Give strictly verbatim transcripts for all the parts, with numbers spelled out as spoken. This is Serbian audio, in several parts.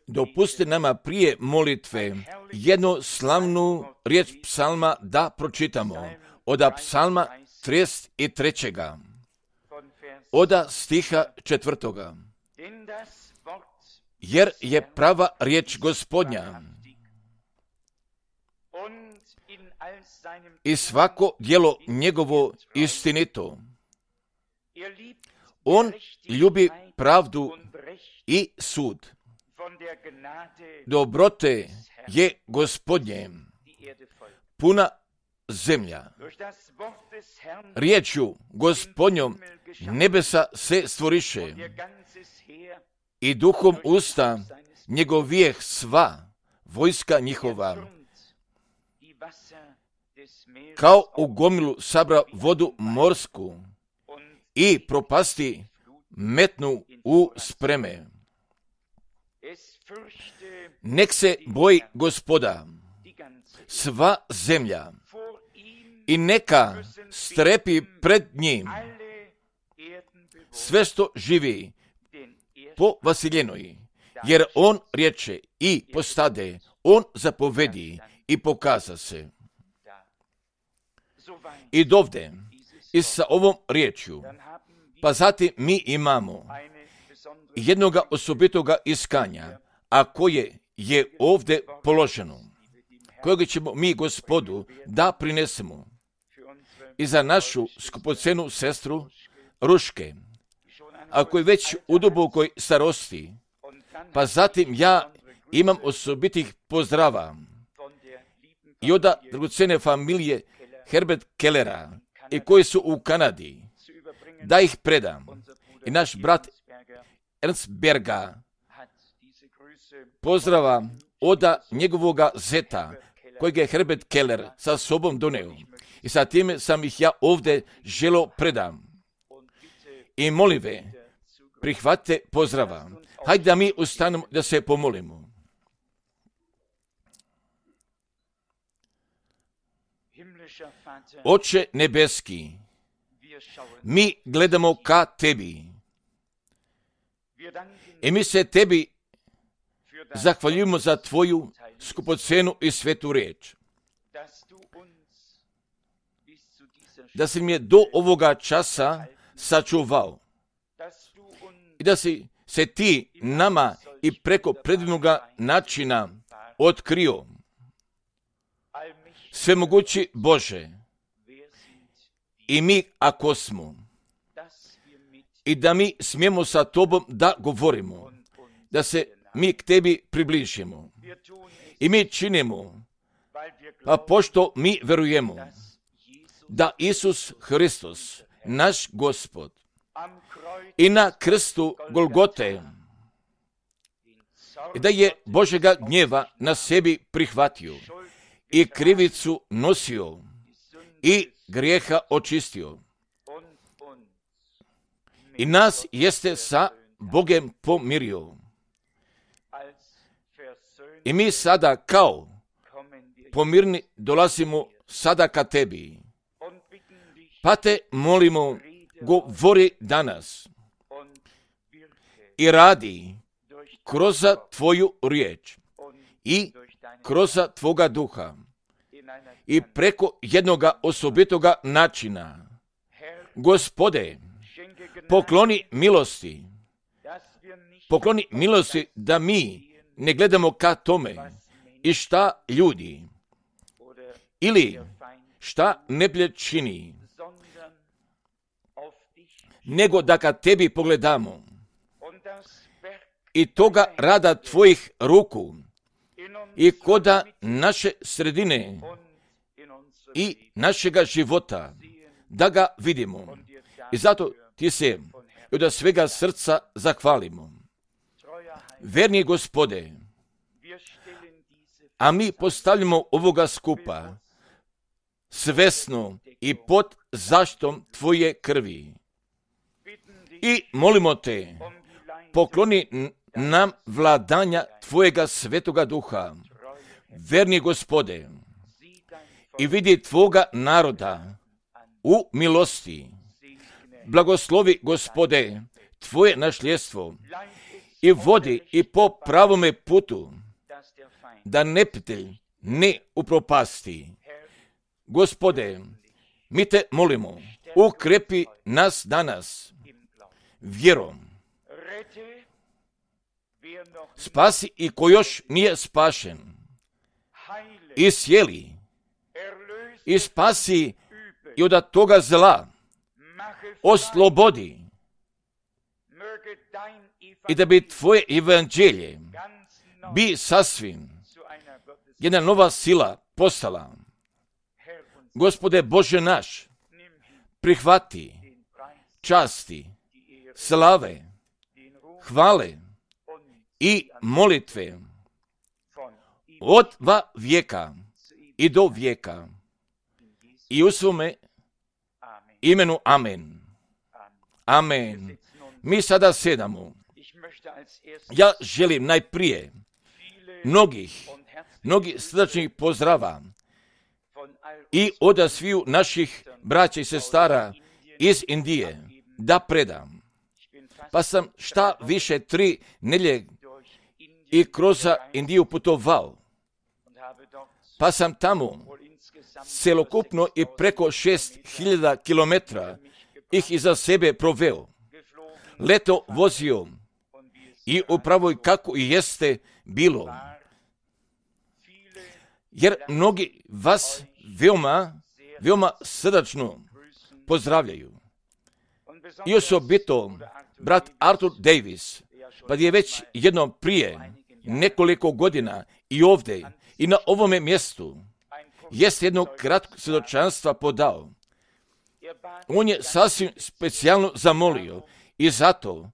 Dopustite nama prije molitve jednu slavnu riječ psalma da pročitamo. Oda psalma trideset trećega Oda stiha četvrtoga. Jer je prava riječ Gospodnja i svako djelo njegovo istinito. On ljubi pravdu i sud. Dobrote je Gospodnje, puna zemlja. Riječju Gospodnjom nebesa se stvoriše i duhom usta njegovijeh sva vojska njihova. Kao u gomilu sabra vodu morsku i propasti metnu u spreme. Nek se boji Gospoda sva zemlja i neka strepi pred njim sve što živi po vasiljenoj, jer on riječe i postade, on zapovedi i pokaza se. I dovde, i sa ovom riječju, pa zatim mi imamo jednoga osobitoga iskanja, a koje je ovdje položeno, kojeg ćemo mi Gospodu da prinesemo i za našu skupocenu sestru Ruške, a koji već u dubokoj starosti, pa zatim ja imam osobitih pozdrava i od dragocene familije Herbert Kellera i koji su u Kanadi, da ih predam. I naš brat Ernst Berga pozdrava od njegovoga zeta, kojeg je Herbert Keller sa sobom doneo. I sa time sam ih ja ovdje želo predam. I molive, prihvatite pozdrava. Hajde da mi ustanemo da se pomolimo. Oče nebeski, mi gledamo ka tebi i mi se tebi zahvaljujemo za tvoju skupocenu i svetu riječ. Da si mi je do ovoga časa sačuvao i da si se ti nama i preko predivnoga načina otkrio. Svemogući Bože, i mi ako smo, i da mi smijemo sa tobom da govorimo, da se mi k tebi približimo. I mi činimo, pa pošto mi verujemo da Isus Hristos, naš Gospod, i na krstu Golgote, i da je Božega gnjeva na sebi prihvatio i krivicu nosio i grijeha očistio. I nas jeste sa Bogem pomirio. I mi sada kao pomirni dolazimo sada ka tebi. Pa te molimo, govori danas i radi kroz tvoju riječ i kroz tvoga duha i preko jednoga osobitoga načina. Gospode, pokloni milosti, pokloni milosti da mi ne gledamo ka tome i šta ljudi ili šta neprijatelj čini, nego da ka tebi pogledamo i toga rada tvojih ruku i koda naše sredine i našega života, da ga vidimo. I zato ti se i od svega srca zahvalimo. Verni Gospode, a mi postavljamo ovoga skupa svesno i pod zaštitom tvoje krvi. I molimo te, pokloni nam vladanja tvojega svetoga duha. Verni Gospode, i vidi tvoga naroda u milosti. Blagoslovi, Gospode, tvoje našljestvo i vodi i po pravome putu, da neprijatelj ne upropasti. Gospode, mi te molimo, ukrepi nas danas vjerom. Spasi i ko još nije spašen. Iscijeli. I spasi i od toga zla. Oslobodi. I da bi tvoje evanđelje bi sasvim jedna nova sila postala. Gospode Bože naš, prihvati časti, slave, hvale i molitve od va vijeka i do vijeka i u svome imenu amen. Amen. Mi sada sedamo. Ja želim najprije mnogih, mnogih srdačnih pozdrava i od sviju naših braća i sestara iz Indije da predam. Pa sam šta više tri nedjelje i kroz Indiju putovao. Pa sam tamo celokupno i preko šest hiljada kilometra ih iza sebe proveo. Leto vozio i upravo kako i jeste bilo. Jer mnogi vas veoma, veoma srdačno pozdravljaju. I osobito brat Arthur Davis, pa je već jednom prije nekoliko godina i ovdje i na ovome mjestu jest jedno kratko svjedočanstva podao. On je sasvim specijalno zamolio i zato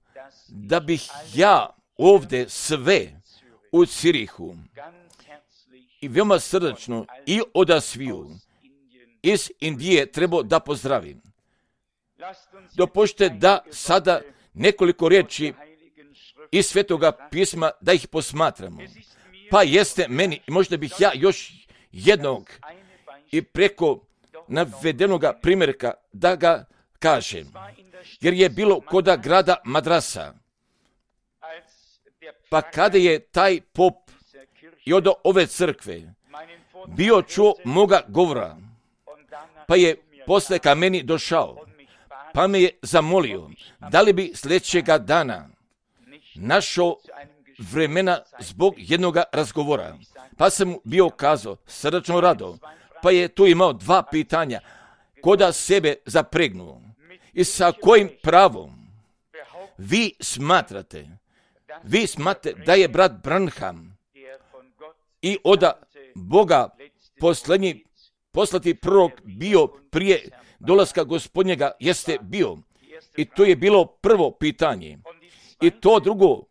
da bih ja ovdje sve u Cirihu i veoma srdačno i od sviju iz Indije trebao da pozdravim. Dopušte da sada nekoliko riječi iz Svetoga pisma da ih posmatramo. Pa jeste meni, možda bih ja još jednog i preko navedenoga primjerka da ga kažem. Jer je bilo koda grada Madrasa. Pa kada je taj pop i od ove crkve bio čuo moga govora, pa je posle ka meni došao, pa me je zamolio da li bi sljedećega dana našao vremena zbog jednoga razgovora. Pa sam mu bio kazao srdačno rado, pa je tu imao dva pitanja koda sebe zapregnuo. I sa kojim pravom vi smatrate, vi smatrate da je brat Branham i od Boga posljednji, poslati prorok bio prije dolaska Gospodnjega jeste bio. I to je bilo prvo pitanje. I to drugo,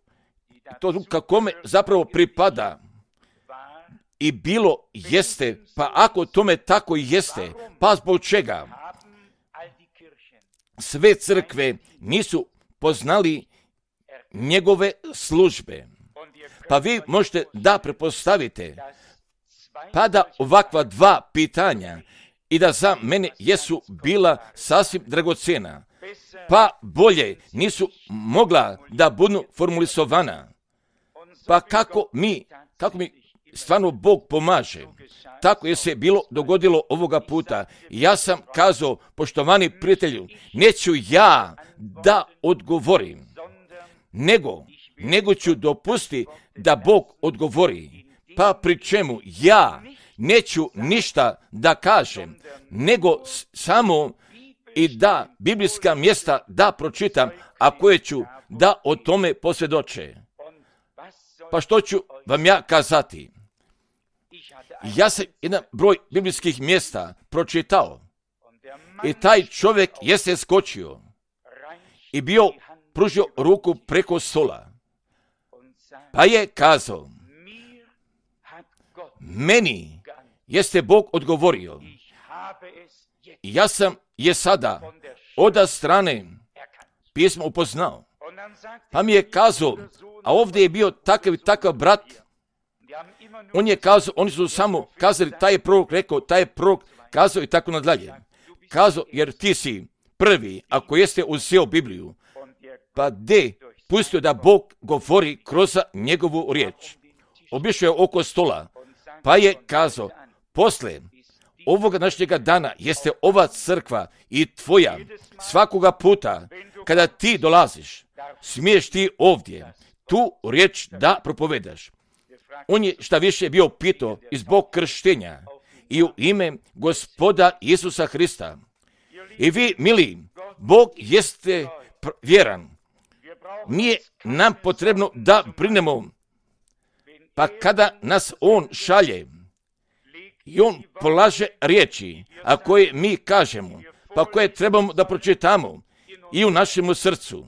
to drugo kakome zapravo pripada i bilo jeste, pa ako tome tako i jeste, pa zbog čega sve crkve nisu poznali njegove službe. Pa vi možete da prepostavite, pa da ovakva dva pitanja i da za mene jesu bila sasvim dragocena, pa bolje nisu mogla da budu formulisovana. Pa kako mi, kako mi stvarno Bog pomaže, tako je se bilo dogodilo ovoga puta. Ja sam kazao, poštovani prijatelju, neću ja da odgovorim, nego, nego ću dopustiti da Bog odgovori. Pa pri čemu ja neću ništa da kažem, nego samo i da biblijska mjesta da pročitam, a koje ću da o tome posvjedoče. Pa što ću vam ja kazati? Ja sam jedan broj biblijskih mjesta pročitao i taj čovjek jeste skočio i bio pružio ruku preko stola. Pa je kazao, meni jeste Bog odgovorio i ja sam je sada od strane pisma upoznao. Pa mi je kazao, a ovdje je bio takav i takav brat, on je kazao, oni su samo kazali, taj je prorok rekao, taj je prorok kazao i tako nadalje. Kazao, jer ti si prvi, ako jeste uzeo Bibliju, pa de pustio da Bog govori kroz njegovu riječ. Obišao je oko stola, pa je kazao, posle ovoga današnjega dana jeste ova crkva i tvoja. Svakoga puta kada ti dolaziš, smiješ ti ovdje tu riječ da propovedaš. On je šta više bio pitao i zbog krštenja i u ime Gospoda Isusa Hrista. I vi, mili, Bog jeste vjeran. Nije nam potrebno da brinemo, pa kada nas On šalje i On polaže riječi, a koje mi kažemo, pa koje trebamo da pročitamo i u našemu srcu,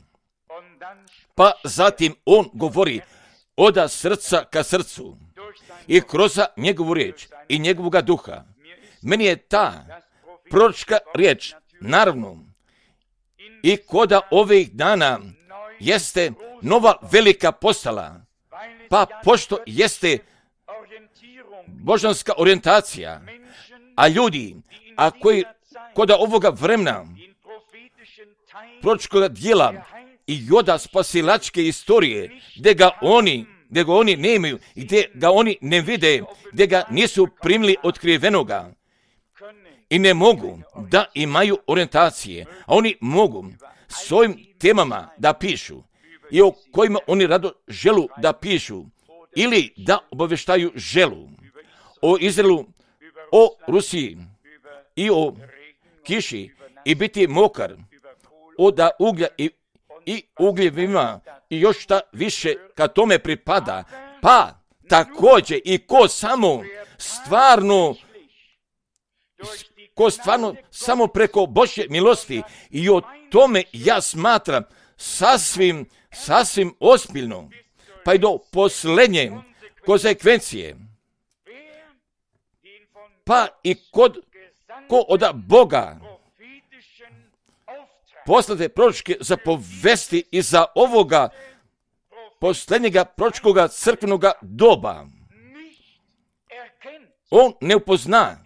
pa zatim On govori od srca ka srcu i kroz njegovu riječ i njegovoga duha. Meni je ta proročka riječ, naravno, i koda ovih dana jeste nova velika postala, pa pošto jeste božanska orijentacija, a ljudi, a koji koda ovoga vremena proročkoga dijela i joda spasilačke istorije, gdje ga oni, gdje ga oni nemaju, gdje ga oni ne vide, gdje ga nisu primili otkrivenoga i ne mogu da imaju orijentacije, a oni mogu s ovim temama da pišu i o kojima oni rado želu da pišu ili da obaveštaju želu o Izraelu, o Rusiji i o kiši i biti mokar, od uglja i, i ugljevima i još šta više kad tome pripada, pa također i ko samo stvarno ko stvarno samo preko Božje milosti i o tome ja smatram sasvim, sasvim ozbiljno, pa i do posljednje konsekvencije, pa i kod ko od Boga poslate proročke zapovesti iza ovoga posljednjega proročkoga crkvenoga doba. On ne upozna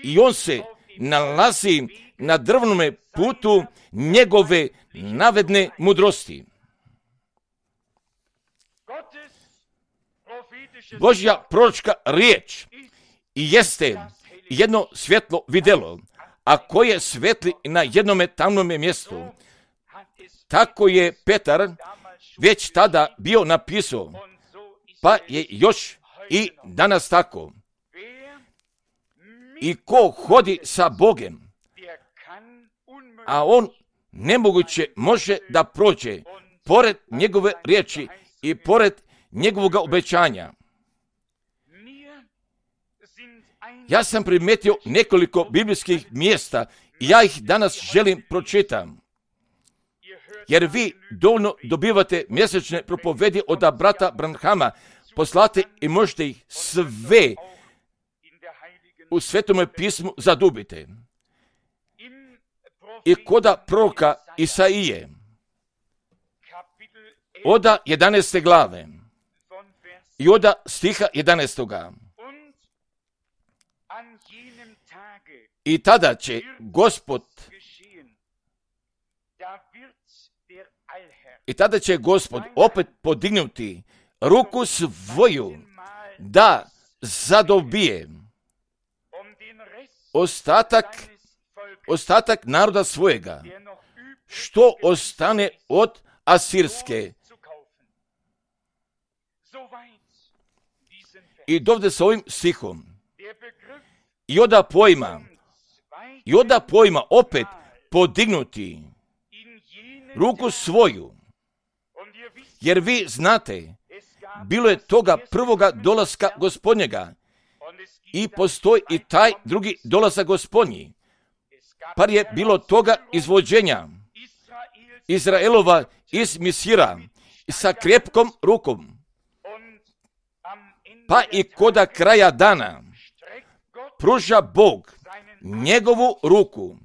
i on se nalazi na drvnome putu njegove navedne mudrosti. Božja proročka riječ i jeste jedno svjetlo vidjelo, a koje svetli na jednome tamnome mjestu. Tako je Petar već tada bio napisao, pa je još i danas tako. I ko hodi sa Bogem, a on nemoguće može da prođe pored njegove riječi i pored njegovog obećanja. Ja sam primetio nekoliko biblijskih mjesta i ja ih danas želim pročitam. Jer vi dovoljno dobivate mjesečne propovedi od brata Branhama, poslate i možete ih sve u Svetome pismu zadubite. I koda proroka Isaije, oda jedanaeste glave i oda stiha jedanaestoga. I tada će Gospod i tada će Gospod opet podignuti ruku svoju da zadobije ostatak ostatak naroda svojega, što ostane od Asirske. I dovde s ovim stihom. I oda pojma, i oda pojma opet podignuti ruku svoju. Jer vi znate, bilo je toga prvoga dolaska Gospodnjega i postoji i taj drugi dolazak Gospodnji. Par je bilo toga izvođenja Izraelova iz Misira sa krepkom rukom. Pa i koda kraja dana pruža Bog njegovu ruku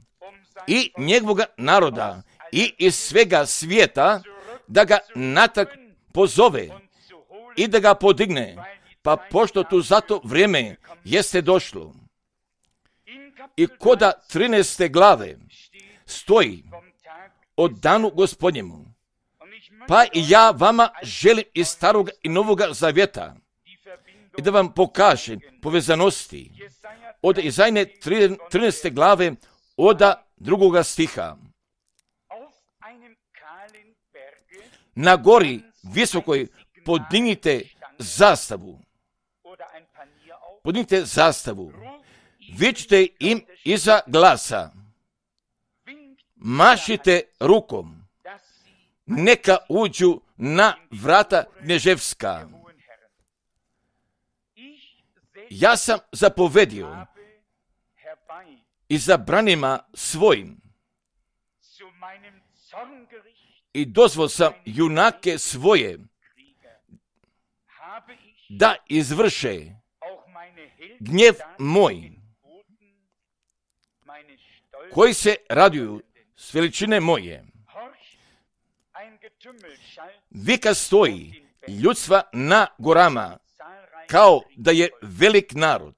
i njegovoga naroda i iz svega svijeta da ga natrag pozove i da ga podigne, pa pošto tu zato vrijeme jeste došlo. I koda trinaeste glave stoji o danu Gospodnjemu. Pa i ja vama želim iz starog i novoga zavjeta i da vam pokažem povezanosti od Izajne trinaeste glave od drugoga stiha. Na gori visokoj podignite zastavu. Podignite zastavu. Vičite im iza glasa. Mašite rukom. Neka uđu na vrata Kneževska. Ja sam zapovedio i zabranima svojim i dozvol sam junake svoje da izvrše gnjev moj, koji se raduju s veličine moje. Vika stoji ljudstva na gorama, kao da je velik narod.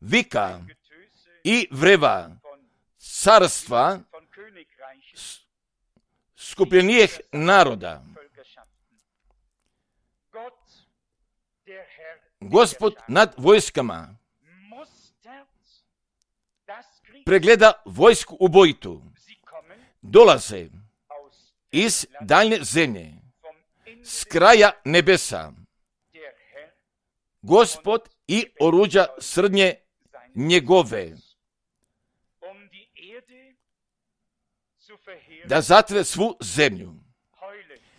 Vika i vreva carstva skupljenijih naroda. Gospod nad vojskama pregleda vojsku ubojitu. Dolaze iz daljne zemlje, s kraja nebesa. Gospod i oruđa srdnje njegove, da zatre svu zemlju.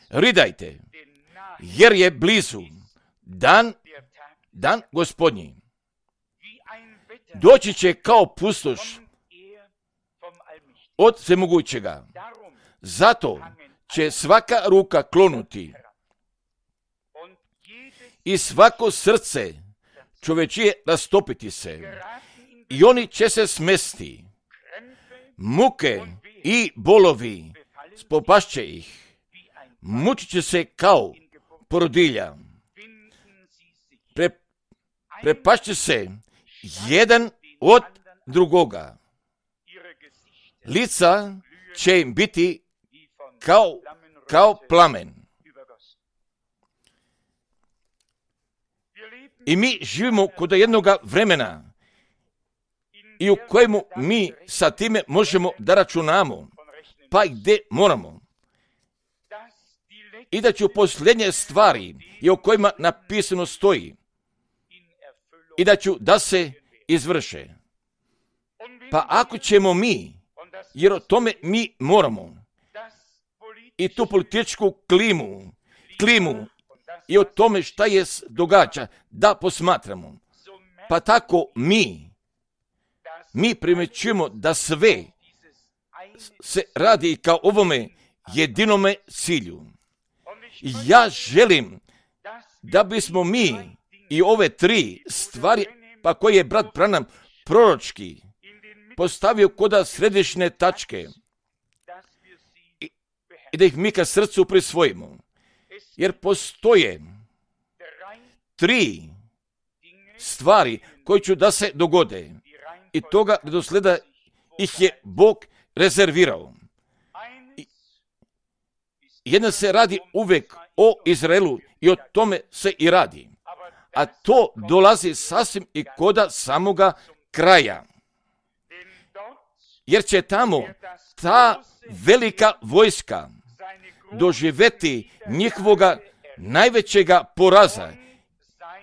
Ridajte, jer je blizu dan, dan Gospodnji. Doći će kao pustoš od Svemogućega. Zato će svaka ruka klonuti i svako srce čovečije rastopiti se i oni će se smesti. Muke i bolovi spopašće ih. Mučit će se kao porodilja. Pre, prepašće se jedan od drugoga. Lica će im biti kao, kao plamen. I mi živimo kod jednoga vremena i u kojemu mi sa time možemo da računamo, pa i gdje moramo. I da ću posljednje stvari i o kojima napisano stoji i da ću da se izvrše. Pa ako ćemo mi, jer o tome mi moramo, i tu političku klimu, klimu i o tome šta je događa, da posmatramo. Pa tako mi, mi primećujemo da sve se radi kao ovome jedinome cilju. Ja želim da bismo mi i ove tri stvari, pa koje je brat Branham proročki postavio koda središnje tačke i, i da ih mi ka srcu prisvojimo. Jer postoje tri stvari koje će da se dogode i toga redosleda ih je Bog rezervirao. I jedna se radi uvek o Izraelu i o tome se i radi. A to dolazi sasvim i koda samoga kraja. Jer će tamo ta velika vojska doživjeti njihovoga najvećega poraza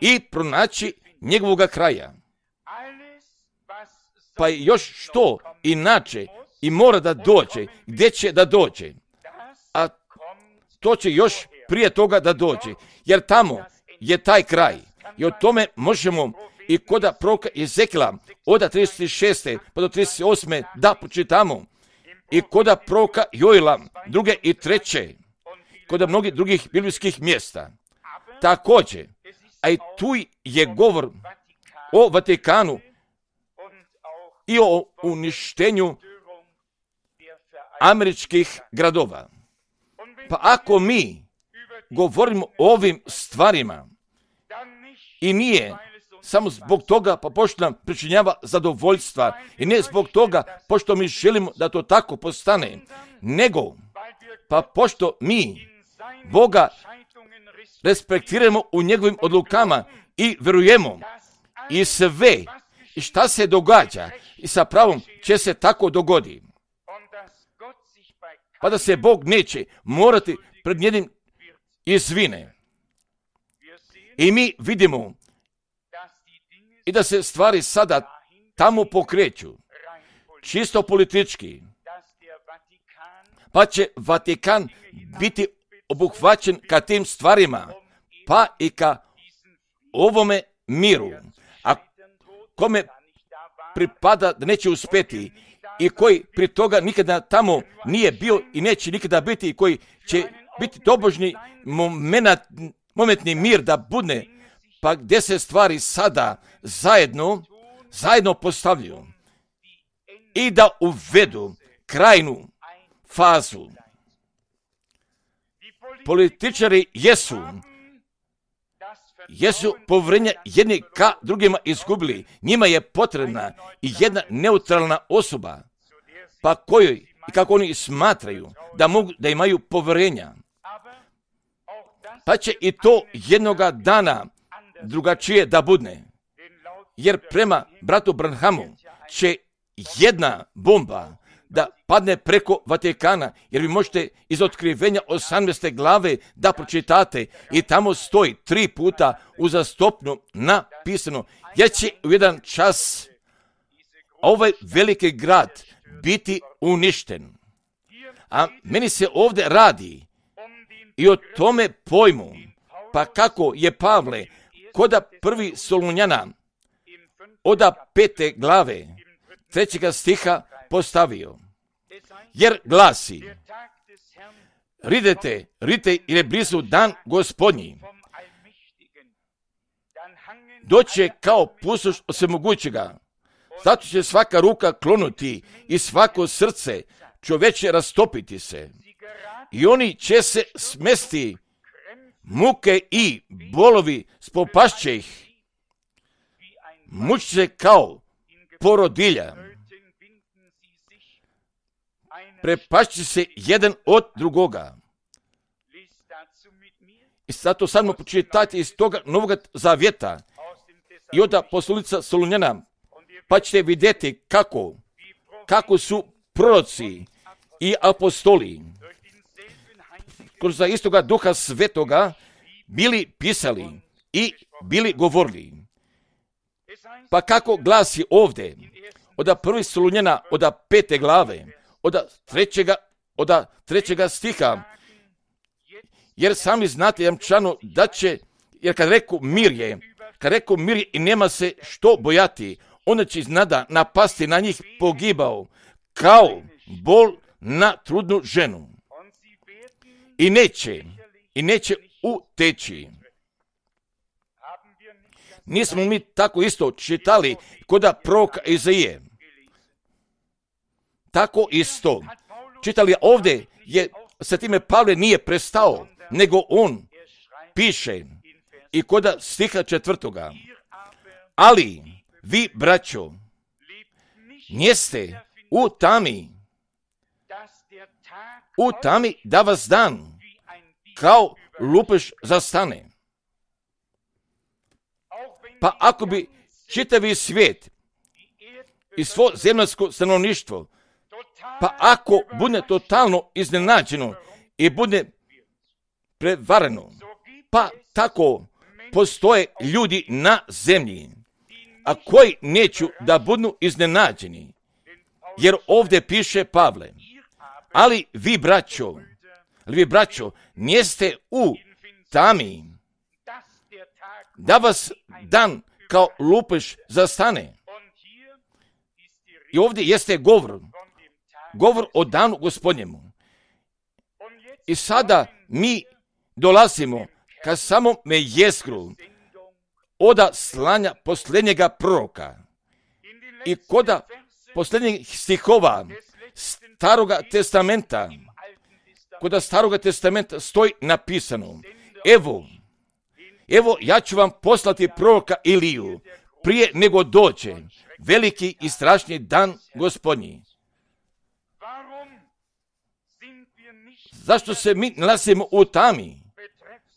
i pronaći njegovoga kraja. Pa još što inače i mora da dođe, gdje će da dođe, a to će još prije toga da dođe, jer tamo je taj kraj. I o tome možemo i koda proroka Ezekila od trideset šeste pa do trideset osme da počitamo. I koda proroka Joela druge i treće, koda mnogih drugih biblijskih mjesta. Također, a i tu je govor o Vatikanu i o uništenju američkih gradova. Pa ako mi govorimo o ovim stvarima i nije samo zbog toga pa pošto nam pričinjava zadovoljstva i ne zbog toga pošto mi želimo da to tako postane, nego pa pošto mi Boga respektiramo u njegovim odlukama i vjerujemo i sve i šta se događa i sa pravom će se tako dogodi. Pa da se Bog neće morati pred njenim izvine. I mi vidimo i da se stvari sada tamo pokreću, čisto politički, pa će Vatikan biti obuhvaćen ka tim stvarima, pa i ka ovome miru, a kome pripada da neće uspjeti i koji pri toga nikada tamo nije bio i neće nikada biti i koji će biti tobožni moment, momentni mir da budne, pa gdje se stvari sada zajedno, zajedno postavljaju i da uvedu krajnu fazu. Političari jesu, jesu povjerenje jedni ka drugima izgubili. Njima je potrebna i jedna neutralna osoba, pa kojoj i kako oni smatraju da mogu da imaju povjerenja. Pa će i to jednoga dana drugačije da budne. Jer prema bratu Branhamu će jedna bomba da padne preko Vatikana, jer vi možete iz otkrivenja osamnaeste glave da pročitate i tamo stoji tri puta uzastopno napisano, jer će u jedan čas ovaj veliki grad biti uništen. A meni se ovdje radi i o tome pojmu, pa kako je Pavle koda prvi Solunjana oda pete glave trećega stiha postavio. Jer glasi, ridete, ridite jer je blizu dan Gospodnji. Doće kao pustoš od svemogućega. Zato će svaka ruka klonuti i svako srce čovječe rastopiti se. I oni će se smesti, muke i bolovi spopašće ih. Mući se kao porodilja. Prepašće se jedan od drugoga. I zato samo pročitajte iz toga Novog Zavjeta i od poslanice Solunjana, pa ćete vidjeti kako, kako su proroci i apostoli kroz istoga Duha Svetoga bili pisali i bili govorili. Pa kako glasi ovdje, od prvi Solunjana, od pete glave, od trećega, od trećega stiha, jer sami znate jamčano da će, jer kad reku mir je, kad reku mir je i nema se što bojati, onda će iznada napasti na njih pogibao, kao bol na trudnu ženu. I neće, i neće uteći. Nismo mi tako isto čitali koda proroka Izaije. Tako isto. Čitali ovdje je, sa time Pavle nije prestao, nego on piše i koda stiha četvrtoga. Ali vi, braćo, njeste u tami, u tami da vas dan kao lupež zastane. Pa ako bi čitavi svijet i svo zemaljsko stanovništvo, pa ako bude totalno iznenađeno i bude prevareno, pa tako postoje ljudi na zemlji, a koji neću da budu iznenađeni. Jer ovdje piše Pavle, ali vi, braćo, ali vi, braćo, njeste u tami, da vas dan kao lupež zastane. I ovdje jeste govor, govor o danu Gospodnjemu. I sada mi dolazimo ka samome jezgru oda slanja posljednjega proroka i koda posljednjih stihova Staroga testamenta, koda Staroga testamenta stoji napisano, evo, evo ja ću vam poslati proroka Iliju prije nego dođe veliki i strašni dan Gospodnji. zašto se mi nalazimo u tami,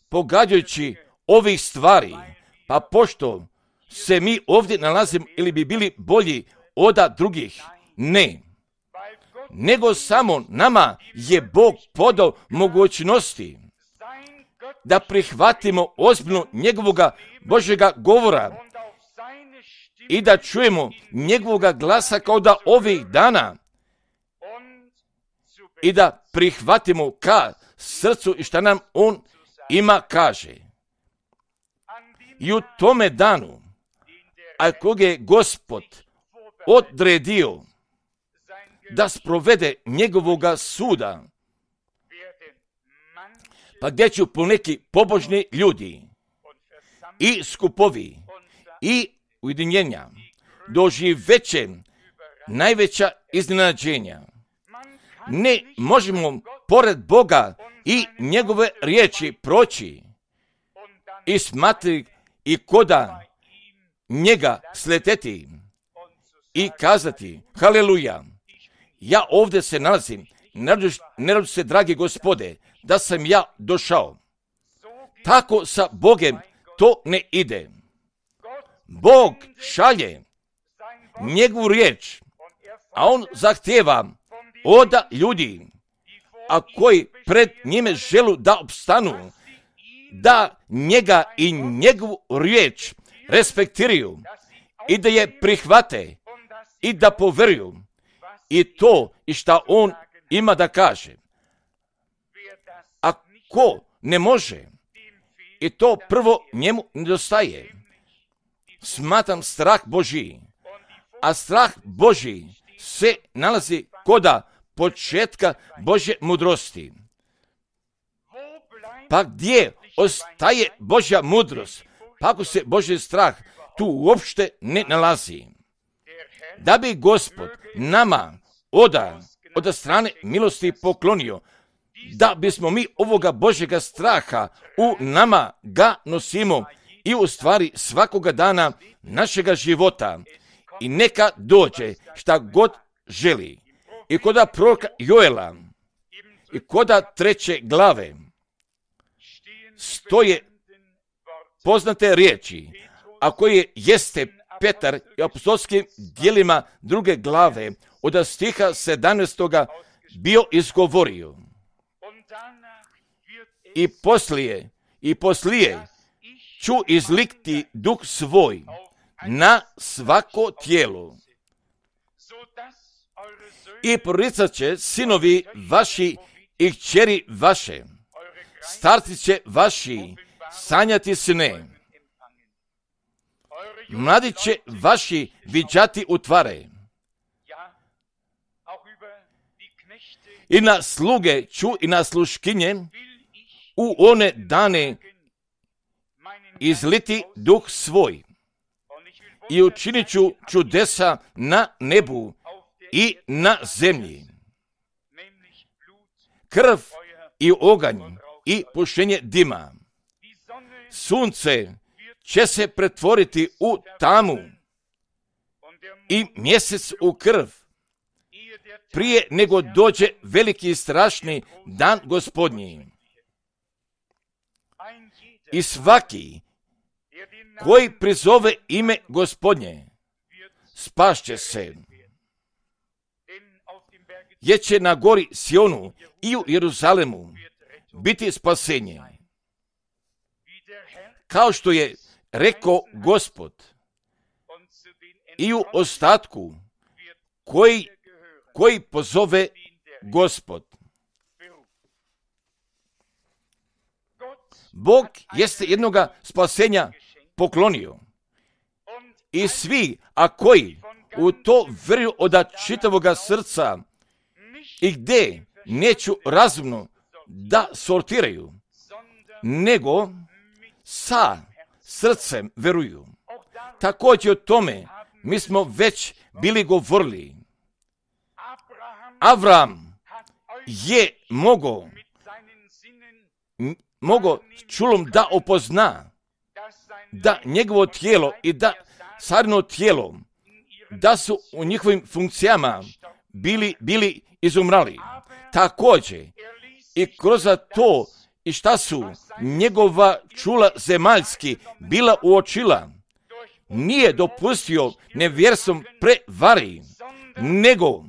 pogađajući ovih stvari, pa pošto se mi ovdje nalazimo ili bi bili bolji od drugih, ne, nego samo nama je Bog podao mogućnosti da prihvatimo ozbiljno njegovoga Božjega govora i da čujemo njegovoga glasa kao da ovih dana i da prihvatimo ka srcu i šta nam on ima kaže. I u tome danu, a kog je Gospod odredio da sprovede njegovoga suda, pa gdje ću poneki pobožni ljudi i skupovi i ujedinjenja doživeće najveća iznenađenja. Ne možemo pored Boga i njegove riječi proći i smatrati i koda njega sleteti i kazati haleluja, ja ovdje se nalazim, ne radi se, dragi Gospode, da sam ja došao. Tako sa Bogem to ne ide. Bog šalje njegovu riječ, a on zahtjeva od ljudi, a koji pred njime želu da opstanu, da njega i njegovu riječ respektiraju i da je prihvate i da poveruju i to i šta on ima da kaže. A ko ne može, i to prvo njemu nedostaje, smatram strah Božji, a strah Božji se nalazi koda početka Božje mudrosti. Pa gdje ostaje Božja mudrost, pa ako se Božji strah tu uopšte ne nalazi. Da bi Gospod nama oda, od strane milosti poklonio, da bismo mi ovoga Božjega straha u nama ga nosimo i u stvari svakoga dana našega života. I neka dođe šta god želi. I koda proroka Joela i koda treće glave stoje poznate riječi, a koje jeste Petar i apostolskim djelima druge glave od stiha sedamnaestoga bio izgovorio. I poslije, i poslije ću izlikti duh svoj na svako tijelo. I proricat će sinovi vaši i kćeri vaše, starci će vaši sanjati sne, mladi će vaši viđati utvare. I na sluge ću i na sluškinje u one dane izliti duh svoj i učinit ću čudesa na nebu i na zemlji. Krv i oganj i pušenje dima. Sunce će se pretvoriti u tamu i mjesec u krv, prije nego dođe veliki i strašni dan Gospodnji. I svaki koji prizove ime Gospodnje spašće se, jer će na gori Sionu i u Jeruzalemu biti spasenje. Kao što je rekao Gospod, i u ostatku koji, koji pozove Gospod. Bog jeste jednoga spasenja poklonio. I svi, a koji u to vjeruju od čitavoga srca i gdje neću razumno da sortiraju, nego sa srcem veruju. Također o tome mi smo već bili govorili. Avram je mogao mogao čulom da opozna da njegovo tijelo i da carino tijelo da su u njihovim funkcijama bili, bili izumrali. Također i kroz to i šta su njegova čula zemaljski bila uočila, nije dopustio nevjerstvom prevari, nego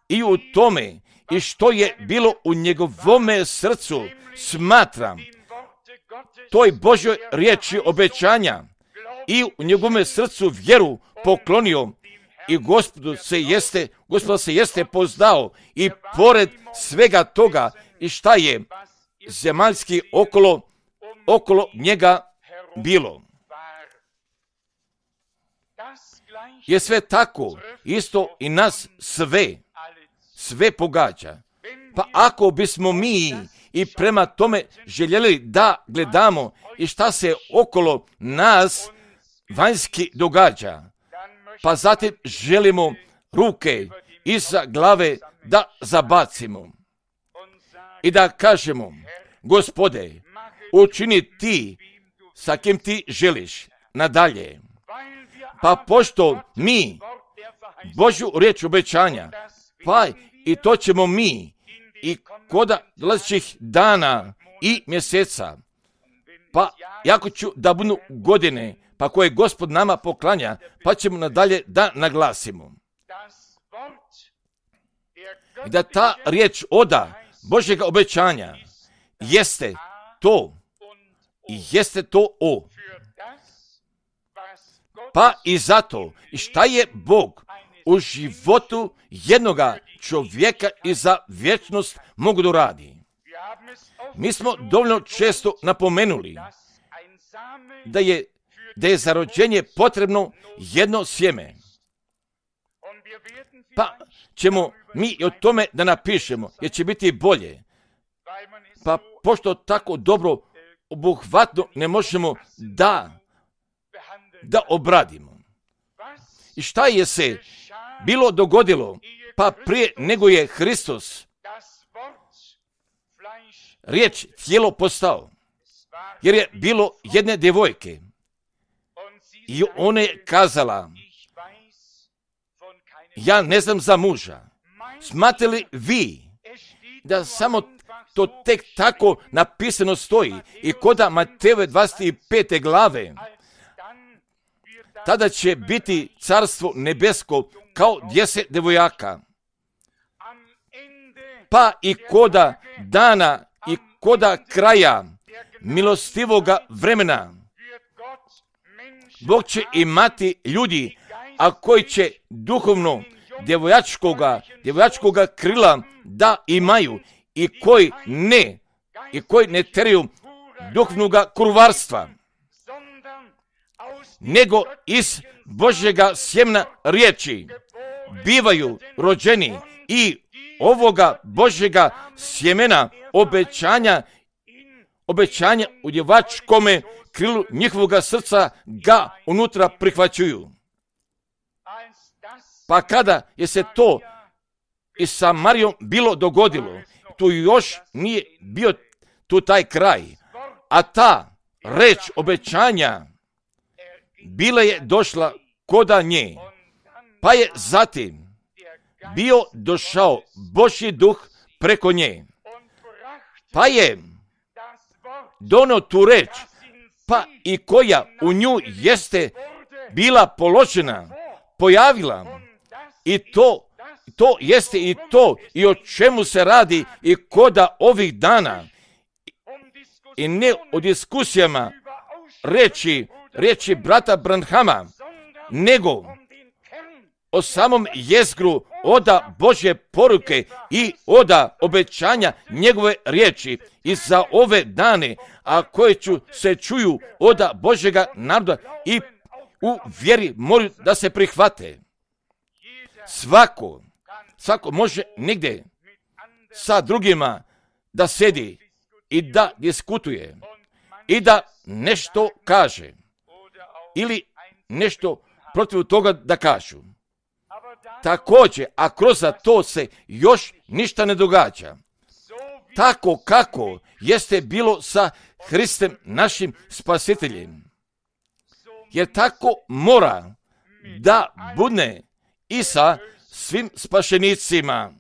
i u tome i što je bilo u njegovome srcu smatram toj Božoj riječi obećanja i u njegovome srcu vjeru poklonio i Gospodu se jeste, Gospod se jeste poznao i pored svega toga i šta je zemaljski okolo, okolo njega bilo. Je sve tako, isto i nas sve, sve pogađa. Pa ako bismo mi i prema tome željeli da gledamo i šta se okolo nas vanjski događa, pa zatim želimo ruke iza glave da zabacimo i da kažemo, Gospode, učini ti sa kim ti želiš nadalje. Pa pošto mi Božju riječ obećanja, pa i to ćemo mi i koda dolazećih dana i mjeseca, pa jako ću da budu godine, pa koje Gospod nama poklanja, pa ćemo nadalje da naglasimo. I da ta riječ oda Božjega obećanja jeste to i jeste to o. Pa i zato, i šta je Bog u životu jednoga čovjeka i za vječnost mogu da radi. Mi smo dovoljno često napomenuli da je, da je za rođenje potrebno jedno sjeme. Pa ćemo mi i o tome da napišemo, jer će biti bolje. Pa pošto tako dobro obuhvatno ne možemo da da obradimo. I šta je se bilo dogodilo, pa prije nego je Hristos riječ tijelo postao, jer je bilo jedne djevojke i ona je kazala, ja ne znam za muža. Smatrate li vi da samo to tek tako napisano stoji i koda Matejove dvadeset pete glave, tada će biti carstvo nebesko kao deset devojaka. Pa i koda dana i koda kraja milostivoga vremena, Bog će imati ljudi, a koji će duhovno djevojačkoga, djevojačkoga krila da imaju i koji ne, i koji ne teraju duhovnoga kurvarstva, nego iz Božjega sjemena riječi bivaju rođeni i ovoga Božjega sjemena obećanja, obećanja u djevačkome krilu njihovoga srca ga unutra prihvaćuju. Pa kada je se to i sa Marijom bilo dogodilo, tu još nije bio tu taj kraj, a ta reč obećanja bila je došla koda nje, pa je zatim bio došao Božji duh preko nje, pa je donio tu reč, pa i koja u nju jeste bila položena, pojavila, i to, to jeste i to i o čemu se radi i koda ovih dana, i ne o diskusijama reči, reči brata Branhama, nego o samom jezgru oda Božje poruke i oda obećanja njegove riječi i za ove dane, a koje ću se čuju oda Božjega naroda i u vjeri moraju da se prihvate. Svako, svako može negdje sa drugima da sedi i da diskutuje i da nešto kaže ili nešto protiv toga da kažu. Također, a kroz to se još ništa ne događa. Tako kako jeste bilo sa Hristom našim spasiteljem. Jer tako mora da bude i sa svim spašenicima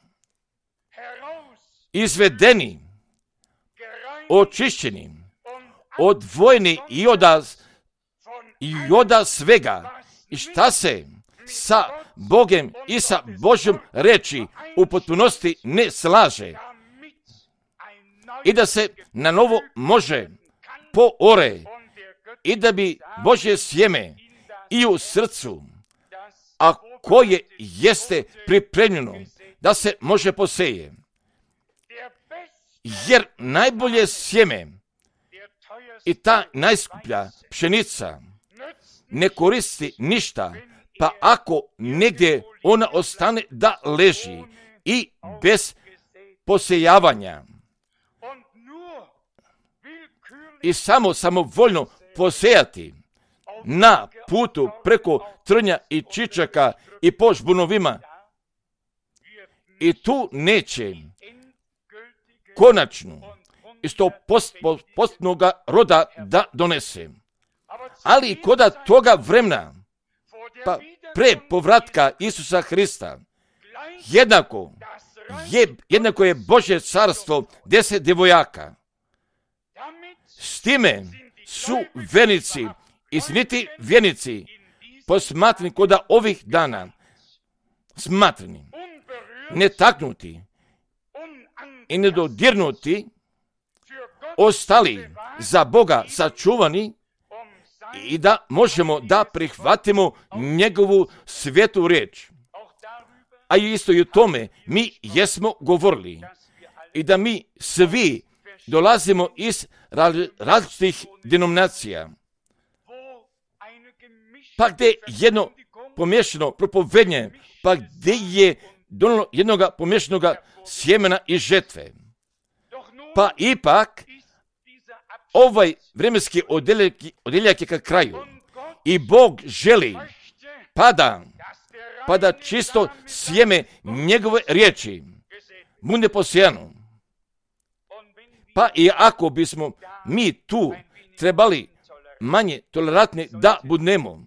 izvedeni očišćeni, odvojeni i od, i od svega, i šta se sa Bogem i sa Božjom reči u potpunosti ne slaže, i da se na novo može poore, i da bi Božje sjeme i u srcu, a koje jeste pripremljeno da se može poseje. Jer najbolje sjeme i ta najskuplja pšenica ne koristi ništa, pa ako negdje ona ostane da leži i bez posejavanja i samo samovoljno posejati na putu preko trnja i čičaka i po žbunovima, i tu neće konačnu i sto postnoga roda da donese. Ali koda toga vremena, pa pre povratka Isusa Hrista, jednako je, jednako je Božje carstvo deset djevojaka. S time su vjernici i sniti vjernici posmatrani koda ovih dana, smatrani, netaknuti i nedodirnuti, ostali za Boga sačuvani, i da možemo da prihvatimo njegovu svetu riječ. A isto i o tome mi jesmo govorili, i da mi svi dolazimo iz različitih denominacija, pa gdje jedno pomješano propovednje, pa gdje je donalo jednog pomješanoga sjemena i žetve. Pa ipak ovaj vremenski odjeljak je ka kraju, i Bog želi pa da, pa da čisto sjeme njegove riječi bude posijano. Pa i ako bismo mi tu trebali manje tolerantni da budemo,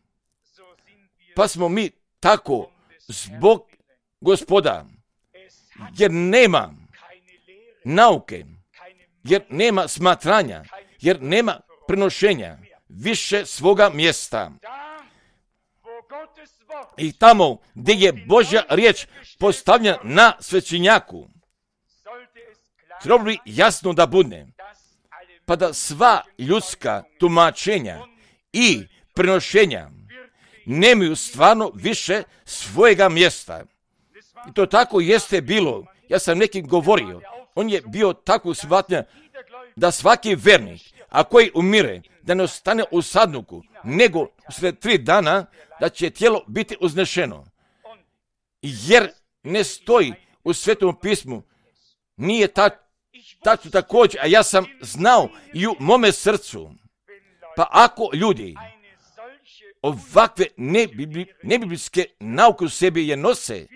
pa smo mi tako zbog Gospoda, jer nema nauke, jer nema smatranja, jer nema prenošenja više svoga mjesta. I tamo gdje je Božja riječ postavljena na svećenjaku, treba bi jasno da bude, pa da sva ljudska tumačenja i prenošenja nemaju stvarno više svojega mjesta. I to tako jeste bilo. Ja sam nekim govorio, on je bio tako shvatnja da svaki vernik, a koji umire, da ne ostane u sadnuku, nego usred tri dana da će tijelo biti uznešeno. Jer ne stoji u Svetom pismu, nije ta, tačno također, a ja sam znao i u mome srcu. Pa ako ljudi ovakve nebiblijske nauke u sebi je nose,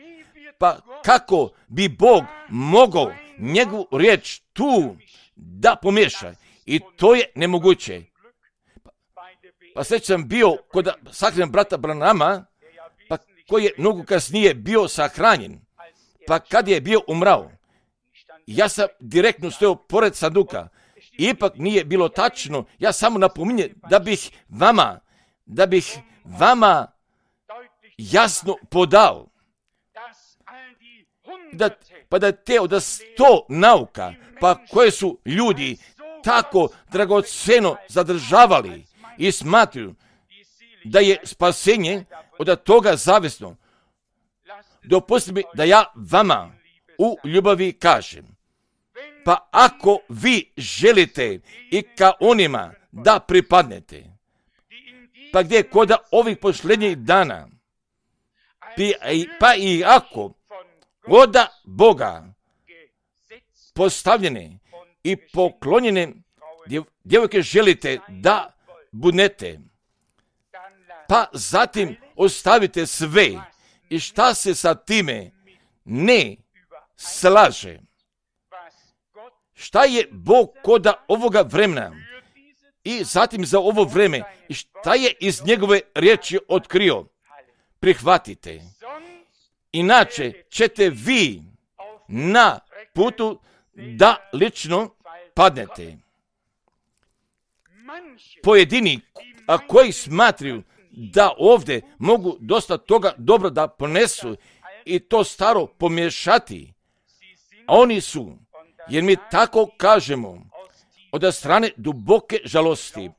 pa kako bi Bog mogao njegovu riječ tu da pomiješa? I to je nemoguće. Pa, pa sve sam bio kod sahrane brata Branama, pa koji je mnogo kasnije bio sahranjen, pa kad je bio umrao, ja sam direktno stojao pored sanduka. Ipak nije bilo tačno, ja samo napominjem da bih vama, da bih vama jasno podao, da, pa da te od sto nauka, pa koje su ljudi tako dragoceno zadržavali i smatruju da je spasenje od toga zavisno. Dopustite mi da ja vama u ljubavi kažem, pa ako vi želite i ka onima da pripadnete, pa gdje kod ovih posljednjih dana, pa i ako od Boga postavljene i poklonjene djevojke želite da budete, pa zatim ostavite sve i šta se sa time ne slaže. Šta je Bog kod ovoga vremena i zatim za ovo vreme i šta je iz njegove riječi otkrio? Prihvatite. Inače ćete vi na putu da lično padnete. pojedini, a koji smatraju da ovdje mogu dosta toga dobro da ponesu i to staro pomiješati, a oni su, jer mi tako kažemo, od strane duboke žalosti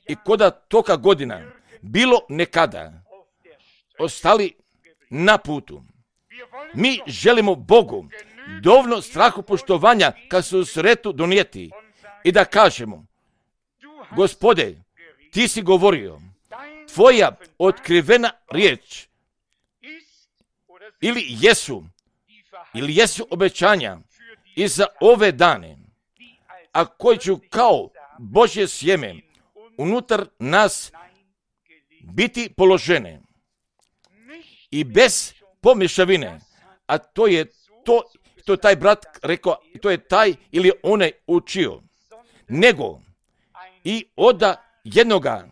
i koda toga godina bilo nekada ostali na putu. Mi želimo Bogu dovoljno strahopoštovanja kad se u sretu donijeti i da kažemo: Gospode, ti si govorio, tvoja otkrivena riječ ili jesu ili jesu obećanja i za ove dane, a koji ću kao Božje sjeme unutar nas biti položene i bez pomješavine, a to je to, to taj brat rekao, to je taj ili onaj učio, nego i od jednoga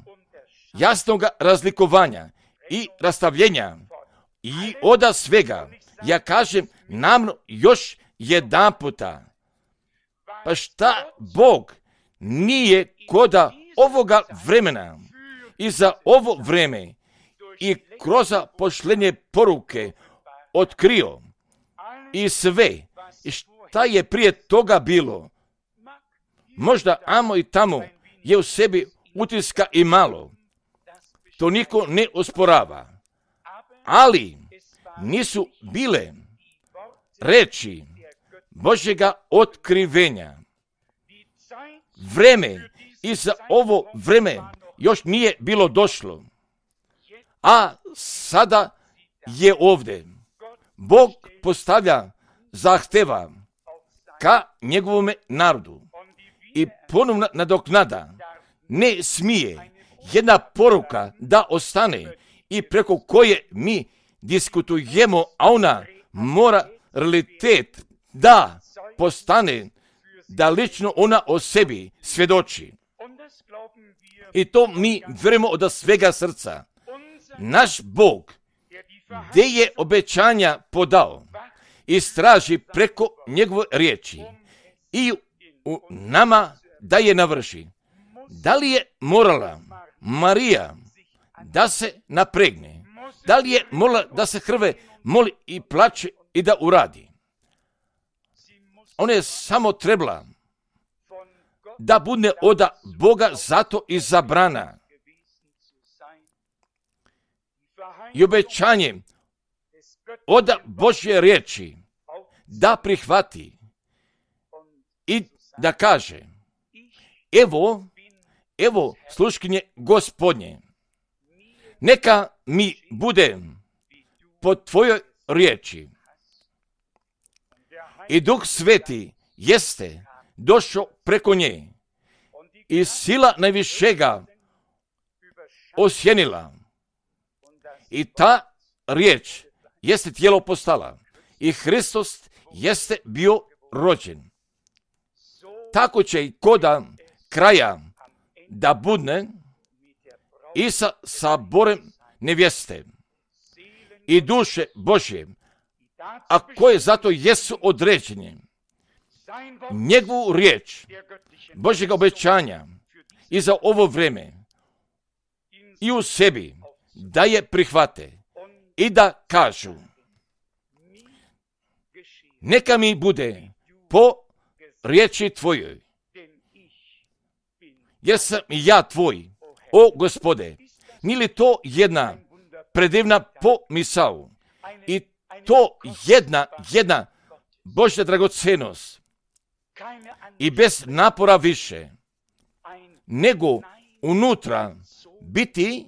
jasnoga razlikovanja i rastavljenja i od svega, ja kažem namno još jedan puta, pa šta Bog nije koda ovoga vremena i za ovo vreme i kroz pošlenje poruke otkrio i sve i šta je prije toga bilo, možda amo i tamo je u sebi utiska i malo, to niko ne osporava, ali nisu bile reči Božjega otkrivenja. Vreme i za ovo vreme još nije bilo došlo, a sada je ovdje. Bog postavlja zahteva ka njegovome narodu i ponovno nadoknada. Ne smije jedna poruka da ostane i preko koje mi diskutujemo, a ona mora realitet da postane, da lično ona o sebi svjedoči. I to mi vjerujemo od svega srca. Naš Bog, gdje je obećanja podao, istraži preko njegove riječi i u nama da je navrši. Da li je morala Marija da se napregne? Da li je morala da se hrve, moli i plače i da uradi? Ona je samo trebala da bude od Boga zato izabrana. I obećanje od Božje riječi da prihvati i da kaže: evo, evo sluškinje Gospodnje, neka mi bude po tvojoj riječi. I Duh Sveti jeste došao preko nje i sila najvišega osjenila. I ta riječ jeste tijelo postala i Hristos jeste bio rođen. Tako će i koda kraja da budne i sa saborem nevjeste i duše Božje, a koje zato jesu određene. Njegovu riječ Božjega obećanja i za ovo vreme i u sebi da je prihvate i da kažu: neka mi bude po riječi tvojoj, jer sam ja tvoj, o Gospode. Nije li to jedna predivna pomisao i to jedna, jedna Božja dragocenost i bez napora više, nego unutra biti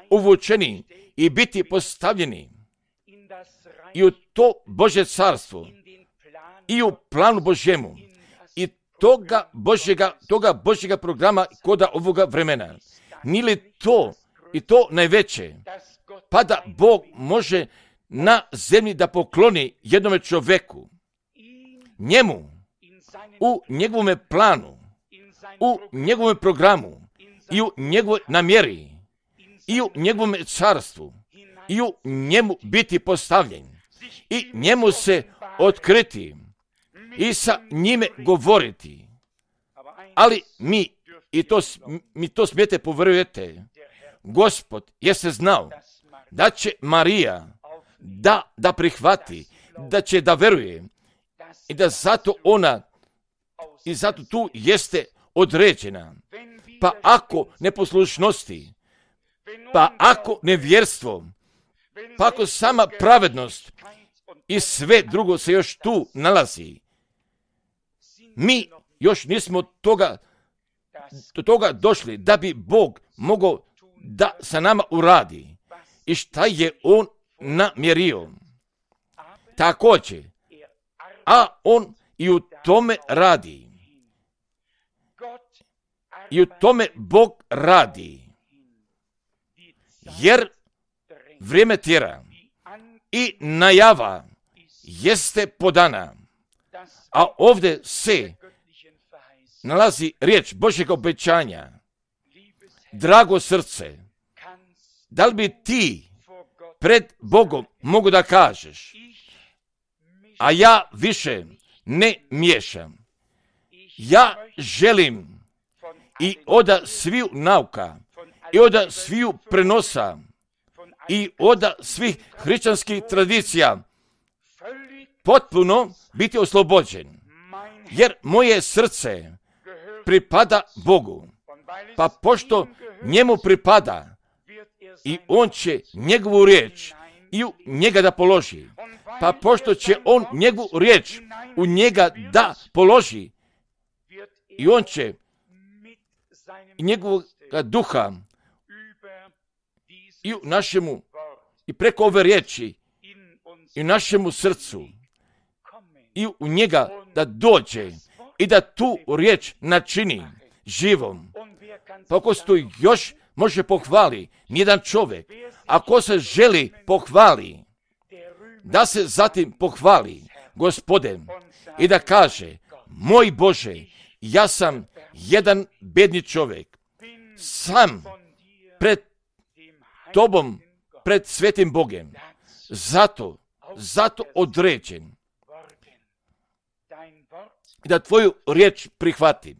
uvučeni i biti postavljeni i u to Božje carstvo i u planu Božjemu i toga Božjega, toga Božjega programa koda ovoga vremena. Nije li to i to najveće, pa da Bog može na zemlji da pokloni jednome čovjeku, njemu, u njegovome planu, u njegovome programu i u njegovoj namjeri i u njegovome carstvu i u njemu biti postavljen i njemu se otkriti i sa njime govoriti. Ali mi I to, mi to smijete povjerujete. Gospod jeste znao da će Marija da, da prihvati, da će da veruje i da zato ona i zato tu jeste određena. Pa ako neposlušnosti, pa ako nevjerstvo, pa ako sama pravednost i sve drugo se još tu nalazi, mi još nismo toga, do toga došli da bi Bog mogao da sa nama uradi i šta je On namjerio. Također, a On i u tome radi. I u tome Bog radi. Jer vrijeme tjera i najava jeste podana. A ovdje se nalazi riječ Božjeg obećanja. Drago srce, da li bi ti pred Bogom mogu da kažeš, a ja više ne miješam. Ja želim i oda sviju nauka, i oda sviju prenosa, i oda svih hrišćanskih tradicija potpuno biti oslobođen. Jer moje srce pripada Bogu. Pa pošto njemu pripada, i on će njegovu riječ i u njega da položi. Pa pošto će on njegovu riječ u njega da položi, i on će njegovog duha i u našemu, i preko ove riječi, i u našemu srcu, i u njega da dođe i da tu riječ načini živom. Pa ako se to još može pohvali, nijedan čovjek, ako se želi pohvali, da se zatim pohvali Gospodem i da kaže, moj Bože, ja sam jedan bedni čovjek, sam pred tobom, pred svetim Bogem, zato, zato određen, i da tvoju riječ prihvatim.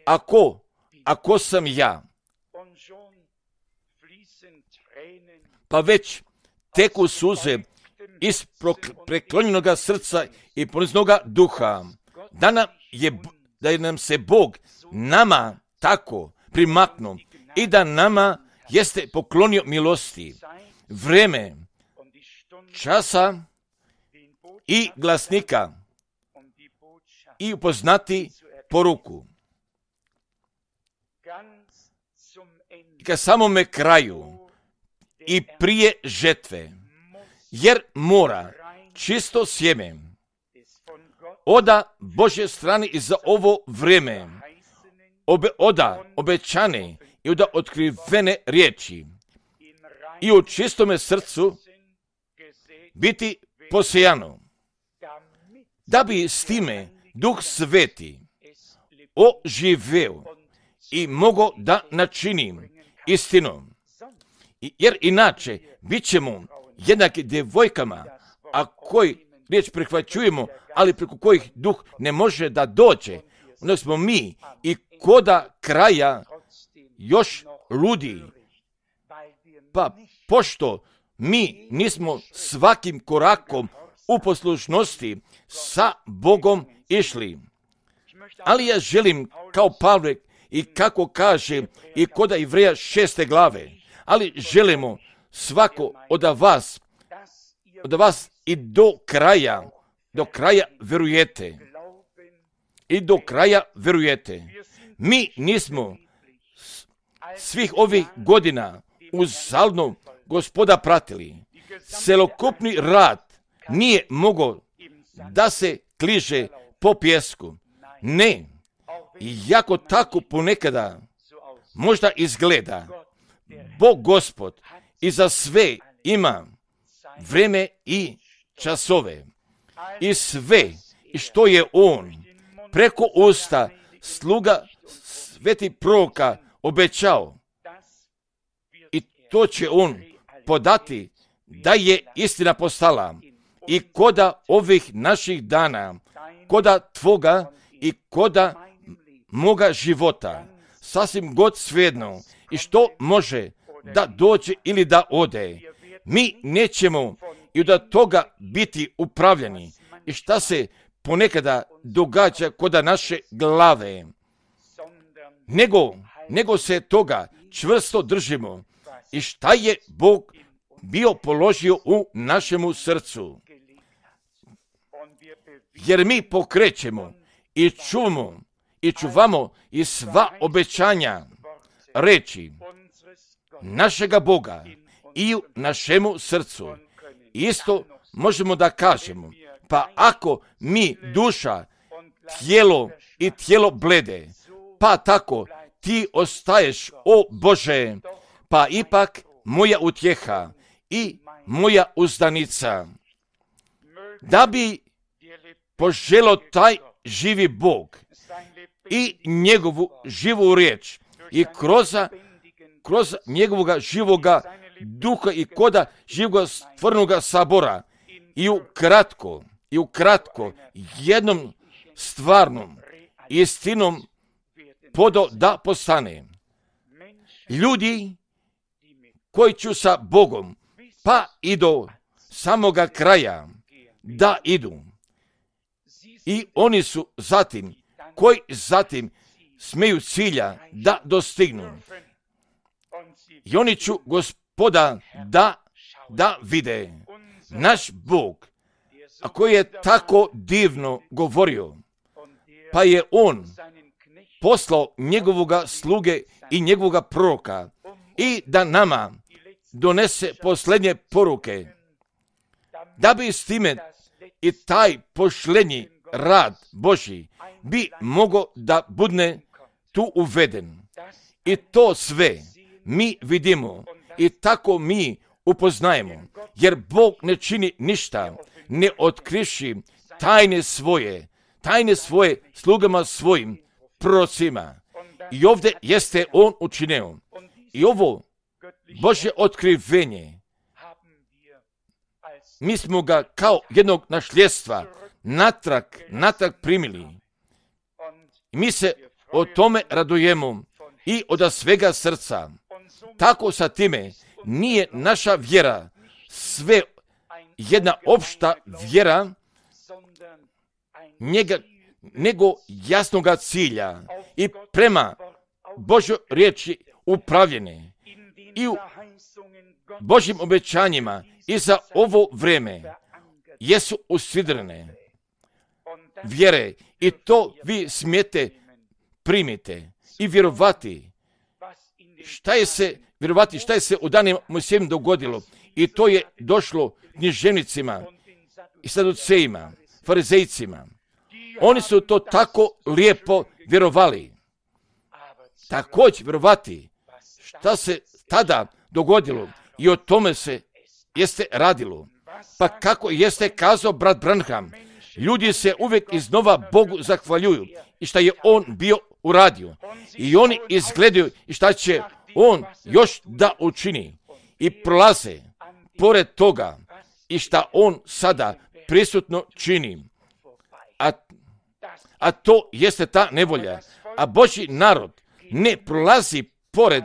Ako, ako sam ja, pa već teku suze iz preklonjenoga srca i poniznoga duha, da nam, je, da nam se Bog nama tako primaknuo i da nama jeste poklonio milosti, vreme, časa i glasnika i upoznati poruku. I ka samome kraju i prije žetve, jer mora čisto sjeme oda Božje strane i za ovo vrijeme, obe, oda obećane i oda otkrivene riječi i u čistome srcu biti posejano, da bi s time Duh Sveti oživeo i mogo da načinim istinom. Jer inače bit ćemo jednaki djevojkama, a koji riječ prihvaćujemo, ali preko kojih duh ne može da dođe, onda smo mi i koda kraja još ludi. Pa pošto mi nismo svakim korakom u poslušnosti sa Bogom išli. Ali ja želim kao Pavle i kako kaže i koda Ivreja šeste glave, ali želimo svako od vas, od vas i do kraja, do kraja verujete. I do kraja verujete. Mi nismo svih ovih godina uzaludno Gospoda pratili. Celokupni rad nije mogao da se kliže po pjesku. Ne, iako tako ponekada možda izgleda, Bog Gospod i za sve ima vreme i časove. I sve što je On preko usta sluga sveti proroka obećao. I to će On podati da je istina postala i koda ovih naših dana, koda tvoga i koda moga života, sasvim god svejedno i što može da dođe ili da ode. Mi nećemo i od toga biti upravljeni i šta se ponekada događa kod naše glave. Nego, nego se toga čvrsto držimo i šta je Bog bio položio u našemu srcu. Jer mi pokrećemo i čuvamo i čuvamo i sva obećanja reči našega Boga i u našemu srcu. Isto možemo da kažemo, pa ako mi duša, tijelo i tijelo blede, pa tako ti ostaješ, o Bože, pa ipak moja utjeha i moja uzdanica. Da bi poželo taj živi Bog i njegovu živu riječ i kroz, kroz njegovoga živoga duha i koda živoga stvarnoga sabora i u kratko, i u kratko jednom stvarnom istinom podo da postane. Ljudi koji ću sa Bogom pa i do samoga kraja da idu. I oni su zatim, koji zatim smeju cilja da dostignu. I oni ću Gospoda da, da vide. Naš Bog, a koji je tako divno govorio, pa je On poslao njegovoga sluge i njegovoga proroka i da nama donese posljednje poruke, da bi s time i taj pošlenji rad Božji bi mogao da budne tu uveden. I to sve mi vidimo i tako mi upoznajemo, jer Bog ne čini ništa, ne otkrivši tajne svoje, tajne svoje slugama svojim prorocima. I ovdje jeste On učinio. I ovo Božje otkrivenje, mi smo ga kao jednog našljedstva natrag, natrag primili. I mi se o tome radujemo i od svega srca. Tako sa time nije naša vjera sve jedna opšta vjera njega, nego jasnoga cilja i prema Božoj riječi upravljene i u Božjim obećanjima i za ovo vreme jesu usidrene vjere i to vi smijete primite i vjerovati šta je se vjerovati šta je se u danima Mojsijevim dogodilo i to je došlo književnicima i saducejima, farizejcima. Oni su to tako lijepo vjerovali. Također vjerovati šta se tada dogodilo i o tome se jeste radilo. Pa kako jeste kazao brat Branham, ljudi se uvijek iznova Bogu zahvaljuju i šta je On bio uradio. I oni izgledaju i šta će On još da učini. I prolaze pored toga i šta On sada prisutno čini. A, a to jeste ta nevolja. A Božji narod ne prolazi pored,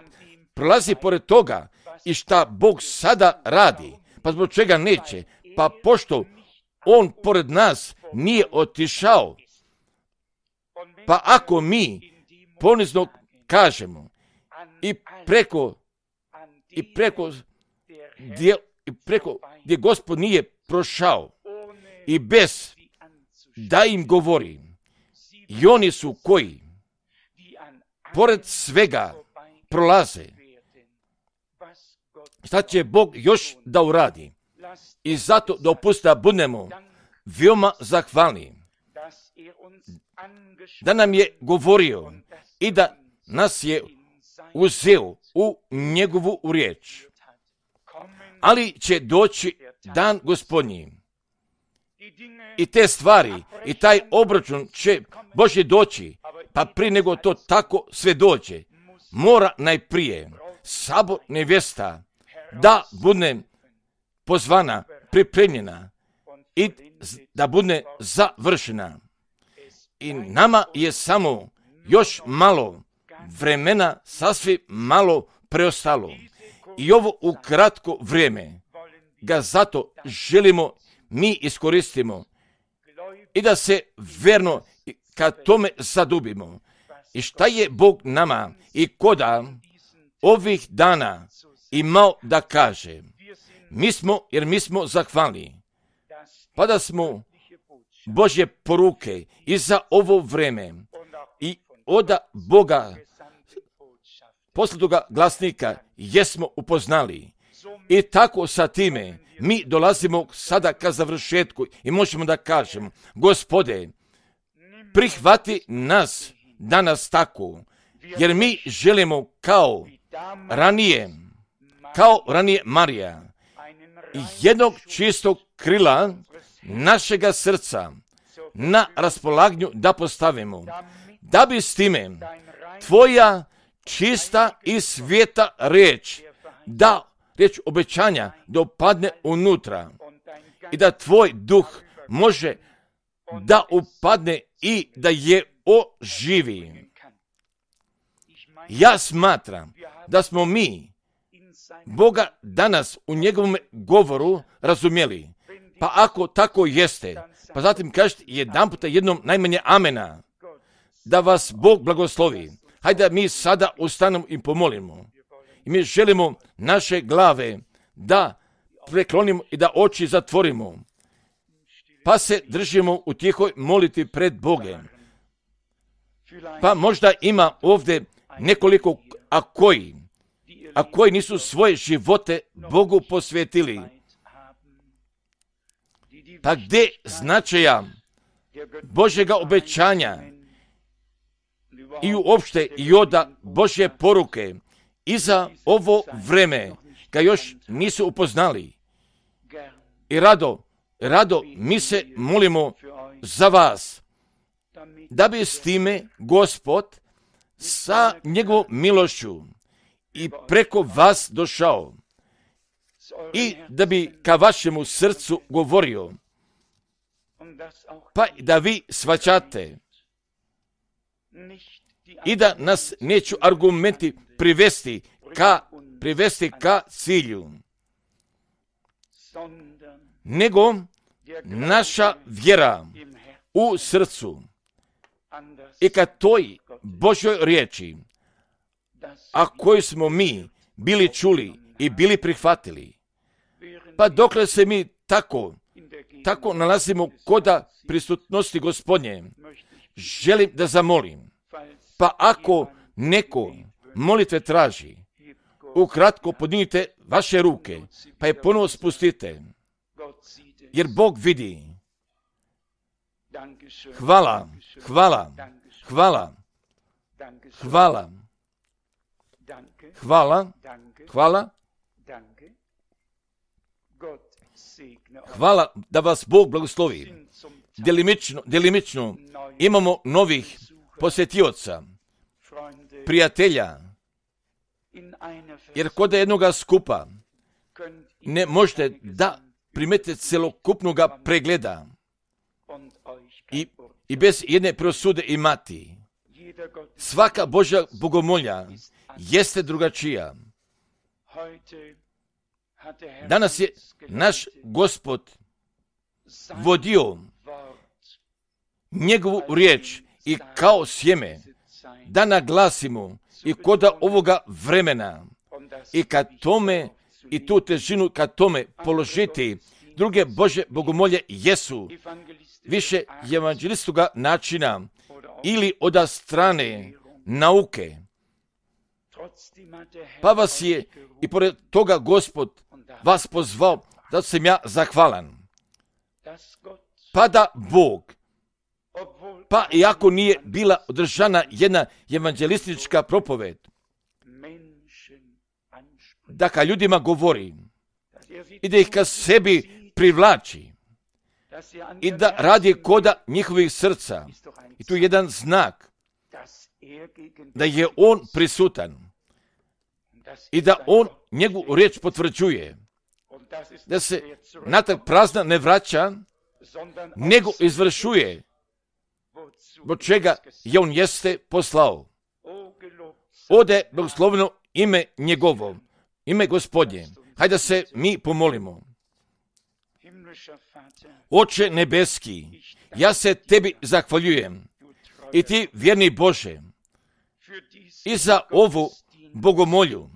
prolazi pored toga i šta Bog sada radi. Pa zbog čega neće? Pa pošto On pored nas nije otišao. Pa ako mi ponizno kažemo i preko i preko gdje, i preko gdje Gospod nije prošao i bez da im govori, i oni su koji pored svega prolaze. Šta će Bog još da uradi? I zato dopustite da budemo veoma zahvalni da nam je govorio i da nas je uzeo u njegovu riječ. Ali će doći dan Gospodnji i te stvari i taj obračun će Božje doći, pa prije nego to tako sve dođe, mora najprije sabor nevjesta da bude pozvana, pripremljena i da bude završena. I nama je samo još malo vremena sasvim malo preostalo. I ovo u kratko vrijeme ga zato želimo mi iskoristimo i da se verno ka tome zadubimo. I šta je Bog nama i koda ovih dana imao da kaže? Mi smo, jer mi smo zahvalni, pa da smo Božje poruke i za ovo vreme i od Boga poslatoga glasnika jesmo upoznali. I tako sa time mi dolazimo sada ka završetku i možemo da kažemo: Gospode, prihvati nas danas tako, jer mi želimo kao ranije, kao ranije Marija, jednog čistog krila našega srca na raspolaganju da postavimo, da bi s time tvoja čista i svijeta riječ, da riječ obećanja da upadne unutra i da tvoj duh može da upadne i da je oživi. Ja smatram da smo mi Boga danas u njegovom govoru razumjeli. Pa ako tako jeste, pa zatim kažete jedan puta jednom najmanje amena, da vas Bog blagoslovi. Hajde mi sada ustanemo i pomolimo. I mi želimo naše glave da preklonimo i da oči zatvorimo, pa se držimo u tihoj molitvi pred Bogom. Pa možda ima ovdje nekoliko, a koji, a koji nisu svoje živote Bogu posvetili. Pa gdje značaja Božjega obećanja i uopšte i od Božje poruke i za ovo vreme ga još nisu upoznali. I rado, rado mi se molimo za vas, da bi s time Gospod sa njegovom milošću i preko vas došao i da bi ka vašemu srcu govorio, pa da vi shvaćate i da nas neću argumenti privesti ka, privesti ka cilju, nego naša vjera u srcu i ka toj Božjoj riječi, a koju smo mi bili čuli i bili prihvatili. Pa dokle se mi tako, tako nalazimo koda prisutnosti Gospodnje, želim da zamolim, pa ako neko molitve traži, ukratko podignite vaše ruke, pa je ponovo spustite, jer Bog vidi. Hvala, hvala, hvala, hvala, hvala, hvala, hvala da vas Bog blagoslovi. Delimično, delimično imamo novih posjetioca, prijatelja, jer kod jednoga skupa ne možete da primete celokupnog pregleda i, i bez jedne prosude imati. Svaka Božja bogomolja jeste drugačija. Danas je naš Gospod vodio njegovu riječ i kao sjeme da naglasimo i koda ovoga vremena i kad tome i tu težinu kad tome položiti. Druge Božje bogomolje jesu više evanđelistoga načina ili od strane nauke. Pa vas je i pored toga Gospod vas pozvao da sam ja zahvalan. Pa da Bog, pa iako nije bila održana jedna evanđelistička propoved, da ka ljudima govori i da ih ka sebi privlači i da radi koda njihovih srca. I tu je jedan znak da je on prisutan i da on njegovu riječ potvrđuje, da se natrag prazna ne vraća, nego izvršuje zbog čega je on jeste poslao. ode blagosloveno ime njegovo, ime Gospodnje. Hajde da se mi pomolimo. Oče nebeski, ja se tebi zahvaljujem i ti, vjerni Bože, i za ovu bogomolju,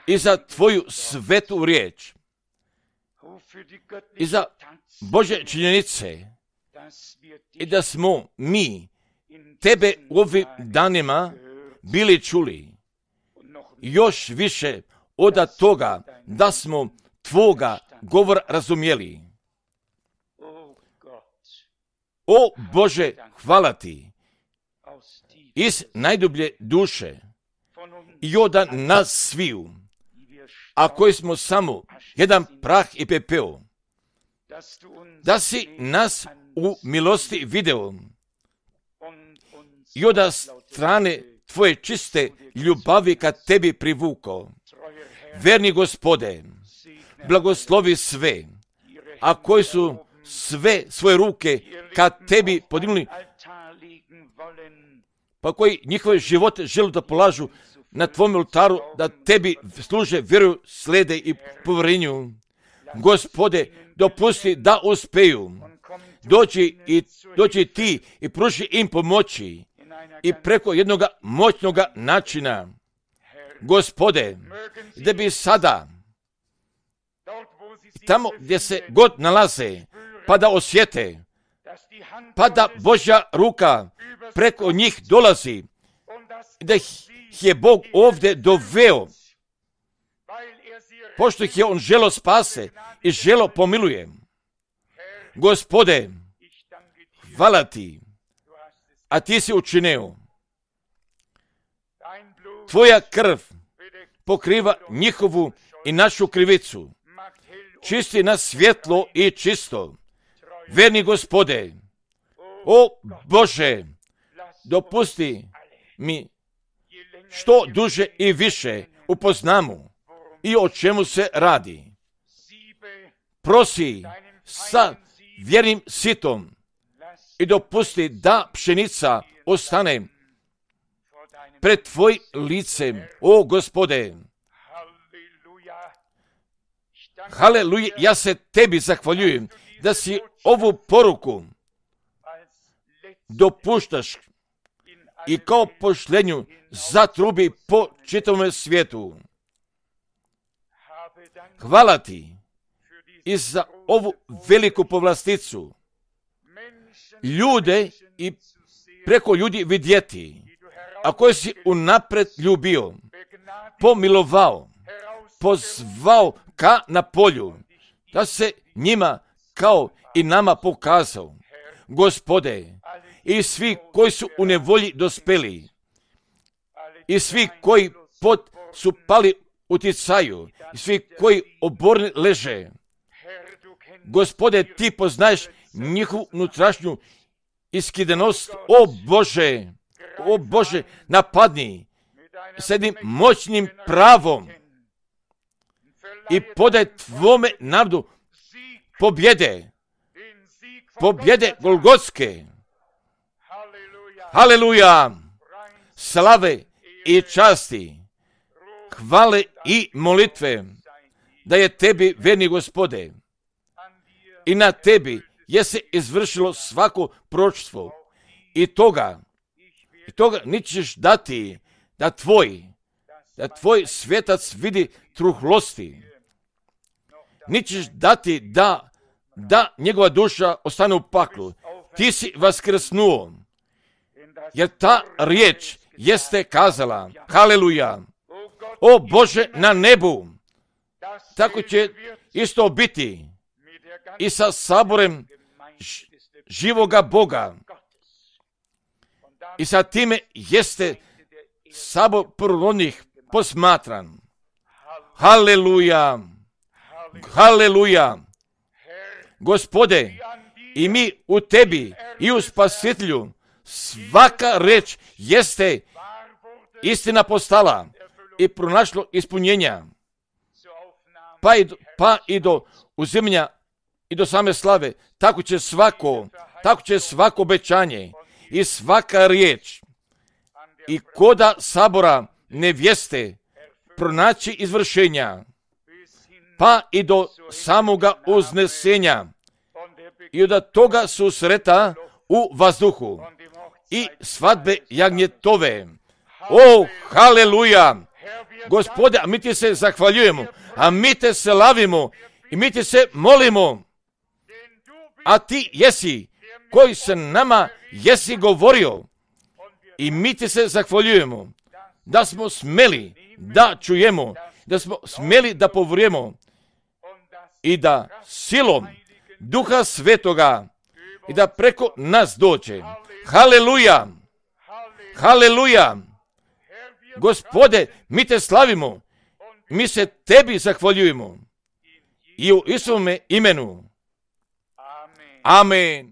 i za tvoju svetu riječ, i za Bože činjenice, i da smo mi tebe u ovim danima bili čuli. Još više od toga da smo tvoga govora razumjeli. O Bože, hvala ti iz najdublje duše i od nas sviju, a koji smo samo jedan prah i pepeo, da si nas u milosti video i od strane tvoje čiste ljubavi kad tebi privukao. Verni Gospode, blagoslovi sve, a koji su sve svoje ruke kad tebi podignuli, pa koji njihove živote žele da polažu na tvom oltaru, da tebi služe, vjeruju, slede i povjerenju. Gospode, dopusti da uspeju. Dođi i dođi ti i pruži im pomoći i preko jednog moćnog načina. Gospode, da bi sada tamo gdje se god nalaze, pa da osjete, pa da Božja ruka preko njih dolazi, da ih je Bog ovdje doveo, pošto ih je On želo spase i želo pomiluje. Gospode, hvala ti, a ti si učinio. Tvoja krv pokriva njihovu i našu krivicu. Čisti nas svjetlo i čisto. Verni Gospode, o Bože, dopusti mi što duže i više upoznamo i o čemu se radi. Prosi sa vjernim sitom i dopusti da pšenica ostane pred tvoj licem, o Gospode. Haleluja, ja se tebi zahvaljujem da si ovu poruku dopuštaš i kao pošlenju zatrubi po čitavom svijetu. Hvala ti i za ovu veliku povlasticu. Ljude i preko ljudi vidjeti, a koje si unapred ljubio, pomilovao, pozvao ka na polju, da se njima kao i nama pokazao. Gospode, i svi koji su u nevolji dospeli, i svi koji pod su pali uticaju, i svi koji oborni leže. Gospode, ti poznaješ njihovu unutrašnju iskidanost. O Bože, o Bože, napadni s jednim moćnim pravom i podaj tvome narodu pobjede, pobjede Golgotske. Haleluja, slave i časti, hvale i molitve, da je tebi, verni Gospode, i na tebi je se izvršilo svako proročstvo i toga, i toga nećeš dati da tvoj, da tvoj svjetac vidi truhlosti. Nećeš dati da, da njegova duša ostane u paklu. Ti si vaskrsnuo, jer ta riječ jeste kazala, haleluja, o Bože na nebu, tako će isto biti i sa saborem živoga Boga. I sa time jeste sabor prvorodnih posmatran. Haleluja, haleluja. Gospode, i mi u tebi i u Spasitelju, svaka reč jeste istina postala i pronašlo ispunjenja, pa i do, pa i do uzimanja i do same slave. Tako će svako, tako će svako obećanje i svaka riječ i koda sabora nevjeste pronaći izvršenja, pa i do samoga uznesenja i od toga susreta u vazduhu i svadbe jagnjetove. O, haleluja! Gospode, a mi ti se zahvaljujemo, a mi te slavimo i mi ti se molimo, a ti jesi koji se nama jesi govorio i mi ti se zahvaljujemo da smo smeli da čujemo, da smo smeli da povrijemo i da silom Duha Svetoga i da preko nas dođe. Haleluja! Haleluja! Gospode, mi te slavimo, mi se tebi zahvaljujemo i u Isusovome imenu. Amen.